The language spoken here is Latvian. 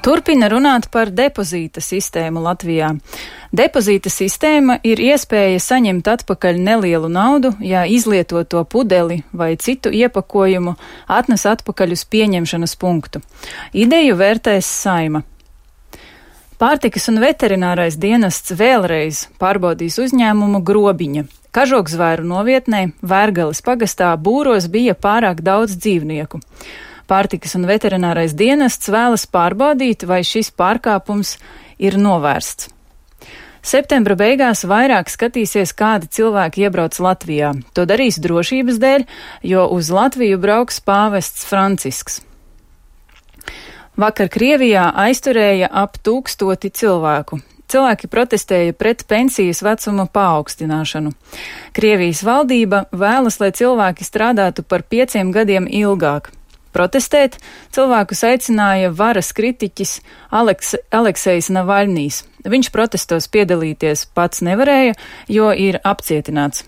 Turpina runāt par depozīta sistēmu Latvijā. Depozīta sistēma ir iespēja saņemt atpakaļ nelielu naudu, ja izlietoto pudeli vai citu iepakojumu atnes atpakaļ uz pieņemšanas punktu. Ideju vērtēs Saeima. Pārtikas un veterinārais dienests vēlreiz pārbaudīs uzņēmumu Grobiņa. Kažokzvēru novietnē Vērgales pagastā Būros bija pārāk daudz dzīvnieku. Pārtikas un veterinārais dienests vēlas pārbaudīt, vai šis pārkāpums ir novērsts. Septembra beigās vairāk skatīsies, kādi cilvēki iebrauc Latvijā. To darīs drošības dēļ, jo uz Latviju brauks pāvests Francisks. Vakar Krievijā aizturēja ap 1000 cilvēku. Cilvēki protestēja pret pensijas vecuma paaugstināšanu. Krievijas valdība vēlas, lai cilvēki strādātu par 5 gadiem ilgāk. Protestēt cilvēkus aicināja varas kritiķis Aleksejs Navaļnijs. Viņš protestos piedalīties pats nevarēja, jo ir apcietināts.